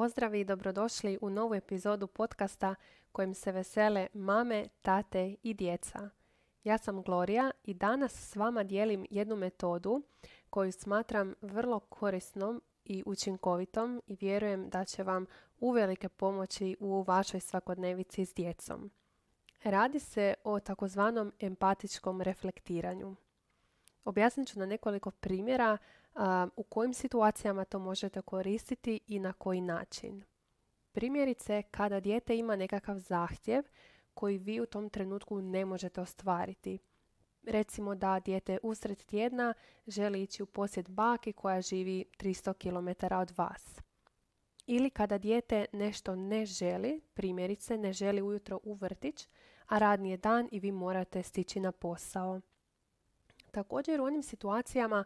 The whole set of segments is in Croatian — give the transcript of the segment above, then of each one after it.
Pozdrav i dobrodošli u novu epizodu podcasta kojim se vesele mame, tate i djeca. Ja sam Gloria i danas s vama dijelim jednu metodu koju smatram vrlo korisnom i učinkovitom i vjerujem da će vam uvelike pomoći u vašoj svakodnevici s djecom. Radi se o takozvanom empatičkom reflektiranju. Objasnit ću na nekoliko primjera u kojim situacijama to možete koristiti i na koji način. Primjerice, kada dijete ima nekakav zahtjev koji vi u tom trenutku ne možete ostvariti. Recimo da dijete usred tjedna želi ići u posjet baki koja živi 300 km od vas. Ili kada dijete nešto ne želi, primjerice ne želi ujutro u vrtić, a radni je dan i vi morate stići na posao. Također u onim situacijama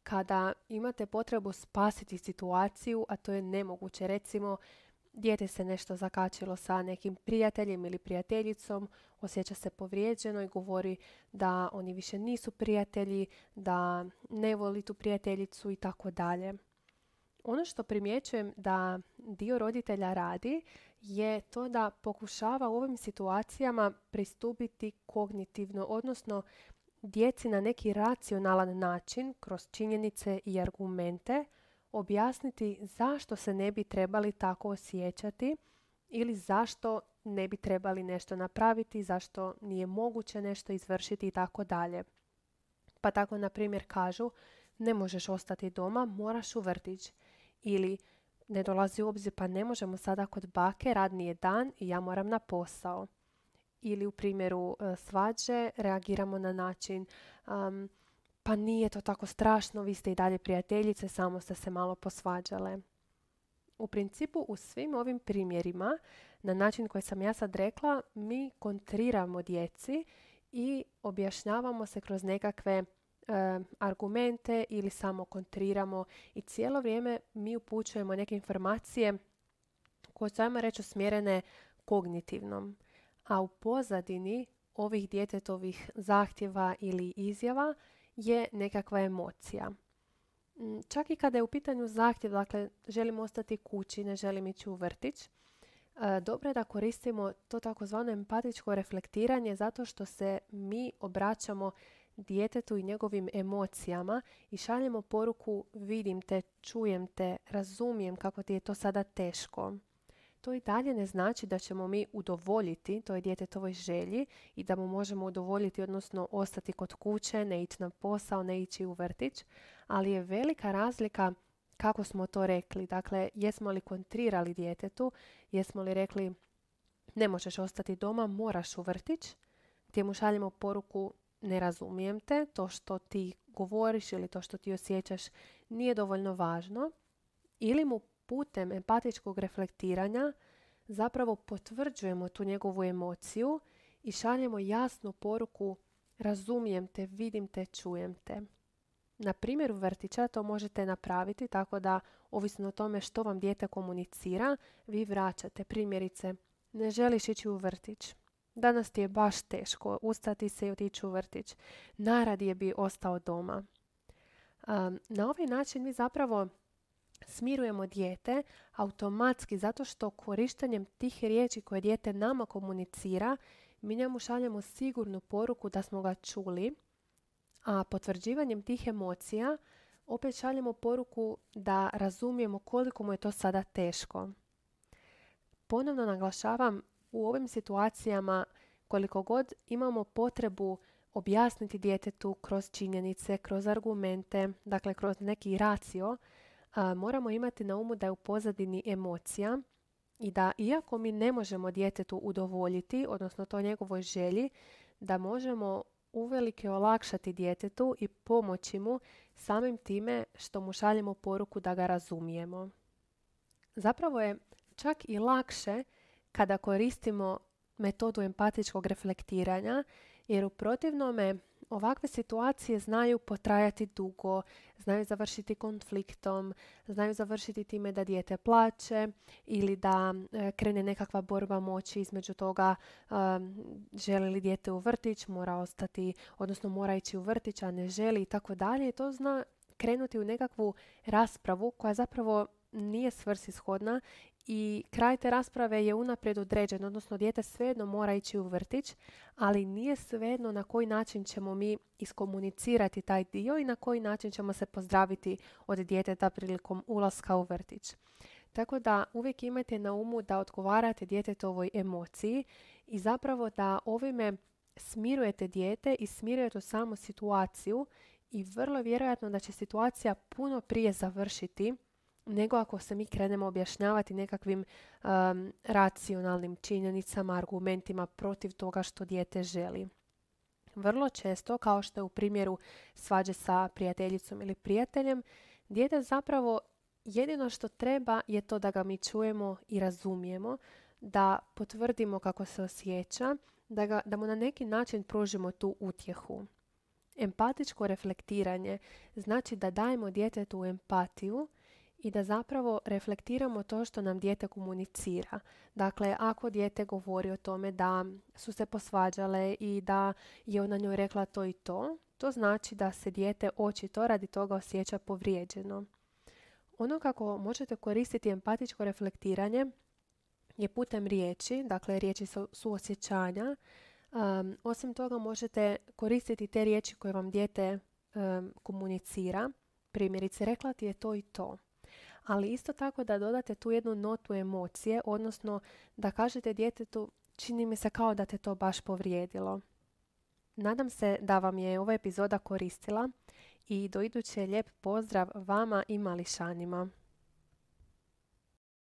kada imate potrebu spasiti situaciju, a to je nemoguće. Recimo, dijete se nešto zakačilo sa nekim prijateljem ili prijateljicom, osjeća se povrijeđeno i govori da oni više nisu prijatelji, da ne voli tu prijateljicu i tako dalje. Ono što primjećujem da dio roditelja radi je to da pokušava u ovim situacijama pristupiti kognitivno, odnosno djeci na neki racionalan način, kroz činjenice i argumente, objasniti zašto se ne bi trebali tako osjećati ili zašto ne bi trebali nešto napraviti, zašto nije moguće nešto izvršiti i tako dalje. Pa tako, na primjer, kažu ne možeš ostati doma, moraš u vrtić. Ili ne dolazi u obzir, pa ne možemo sada kod bake, radni je dan i ja moram na posao. Ili u primjeru svađe reagiramo na način pa nije to tako strašno, vi ste i dalje prijateljice, samo ste se malo posvađale. U principu u svim ovim primjerima, na način koji sam ja sad rekla, mi kontriramo djeci i objašnjavamo se kroz nekakve argumente ili samo kontriramo i cijelo vrijeme mi upućujemo neke informacije koje su, ajmo reći, usmjerene kognitivnom. A u pozadini ovih djetetovih zahtjeva ili izjava je nekakva emocija. Čak i kada je u pitanju zahtjev, dakle želim ostati kući, ne želim ići u vrtić, dobro je da koristimo to takozvano empatičko reflektiranje zato što se mi obraćamo djetetu i njegovim emocijama i šaljemo poruku vidim te, čujem te, razumijem kako ti je to sada teško. To i dalje ne znači da ćemo mi udovoljiti toj djetetovoj želji i da mu možemo udovoljiti, odnosno ostati kod kuće, ne ići na posao, ne ići u vrtić, ali je velika razlika kako smo to rekli. Dakle, jesmo li kontrirali djetetu, jesmo li rekli ne možeš ostati doma, moraš u vrtić, gdje mu šaljemo poruku ne razumijem te, to što ti govoriš ili to što ti osjećaš nije dovoljno važno, ili mu putem empatičkog reflektiranja zapravo potvrđujemo tu njegovu emociju i šaljemo jasnu poruku razumijem te, vidim te, čujem te. Na primjeru vrtića to možete napraviti tako da, ovisno o tome što vam dijete komunicira, vi vraćate. Primjerice, ne želiš ići u vrtić. Danas ti je baš teško ustati se i otići u vrtić. Najradije bi ostao doma. Na ovaj način mi zapravo smirujemo dijete automatski zato što korištenjem tih riječi koje dijete nama komunicira, mi njemu šaljemo sigurnu poruku da smo ga čuli, a potvrđivanjem tih emocija opet šaljemo poruku da razumijemo koliko mu je to sada teško. Ponovno naglašavam, u ovim situacijama koliko god imamo potrebu objasniti djetetu kroz činjenice, kroz argumente, dakle kroz neki racio, moramo imati na umu da je u pozadini emocija i da iako mi ne možemo djetetu udovoljiti, odnosno to njegovoj želji, da možemo uvelike olakšati djetetu i pomoći mu samim time što mu šaljemo poruku da ga razumijemo. Zapravo je čak i lakše kada koristimo metodu empatičkog reflektiranja, jer u protivnome ovakve situacije znaju potrajati dugo, znaju završiti konfliktom, znaju završiti time da dijete plače ili da krene nekakva borba moći između toga želi li dijete u vrtić, mora ostati, odnosno mora ići u vrtić, a ne želi i tako dalje. To zna krenuti u nekakvu raspravu koja zapravo nije svrsishodna i kraj te rasprave je unaprijed određen, odnosno dijete svejedno mora ići u vrtić, ali nije svejedno na koji način ćemo mi iskomunicirati taj dio i na koji način ćemo se pozdraviti od djeteta prilikom ulaska u vrtić. Tako da uvijek imajte na umu da odgovarate djetetovoj emociji i zapravo da ovime smirujete dijete i smirujete samu situaciju i vrlo vjerojatno da će situacija puno prije završiti nego ako se mi krenemo objašnjavati nekakvim racionalnim činjenicama, argumentima protiv toga što dijete želi. Vrlo često, kao što je u primjeru svađe sa prijateljicom ili prijateljem, dijete zapravo jedino što treba je to da ga mi čujemo i razumijemo, da potvrdimo kako se osjeća, da mu na neki način pružimo tu utjehu. Empatičko reflektiranje znači da dajemo djetetu empatiju i da zapravo reflektiramo to što nam dijete komunicira. Dakle, ako dijete govori o tome da su se posvađale i da je ona njoj rekla to i to znači da se dijete očito radi toga osjeća povrijeđeno. Ono kako možete koristiti empatičko reflektiranje je putem riječi, dakle riječi suosjećanja. Osim toga možete koristiti te riječi koje vam dijete komunicira. Primjerice, rekla ti je to i to. Ali isto tako da dodate tu jednu notu emocije, odnosno da kažete djetetu čini mi se kao da te to baš povrijedilo. Nadam se da vam je ova epizoda koristila i do iduće lijep pozdrav vama i mališanima.